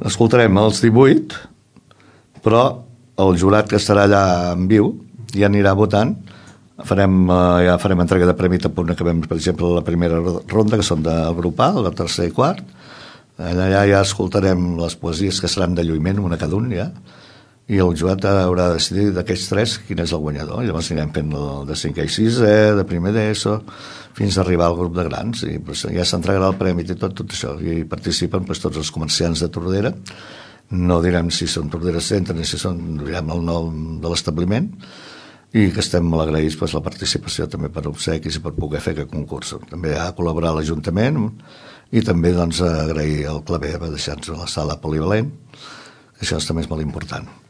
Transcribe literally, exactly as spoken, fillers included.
Escoltarem els divuit, però el jurat que estarà allà en viu ja anirà votant. Farem, ja farem entrega de premi tant punt acabem, per exemple, la primera ronda, que són del grup A, el tercer i quart. Allà ja escoltarem les poesies que seran de lluïment, una cada un ja, i el jurat haurà de decidir d'aquests tres quin és el guanyador. Llavors anirem fent el de cinquè i sisè, de primer d'ESO, fins a arribar al grup de grans, i pues, ja s'entregarà el premi i tot, tot això. I participen pues, tots els comerciants de Tordera. No direm si són Tordera Centre ni si són, direm el nom de l'establiment, i que estem molt agraïts pues, la participació també per obsequis i per poder fer aquest concurs. També ha col·laborat l'Ajuntament i també doncs, agrair al Claver per deixar-nos la sala polivalent. Això també és molt important.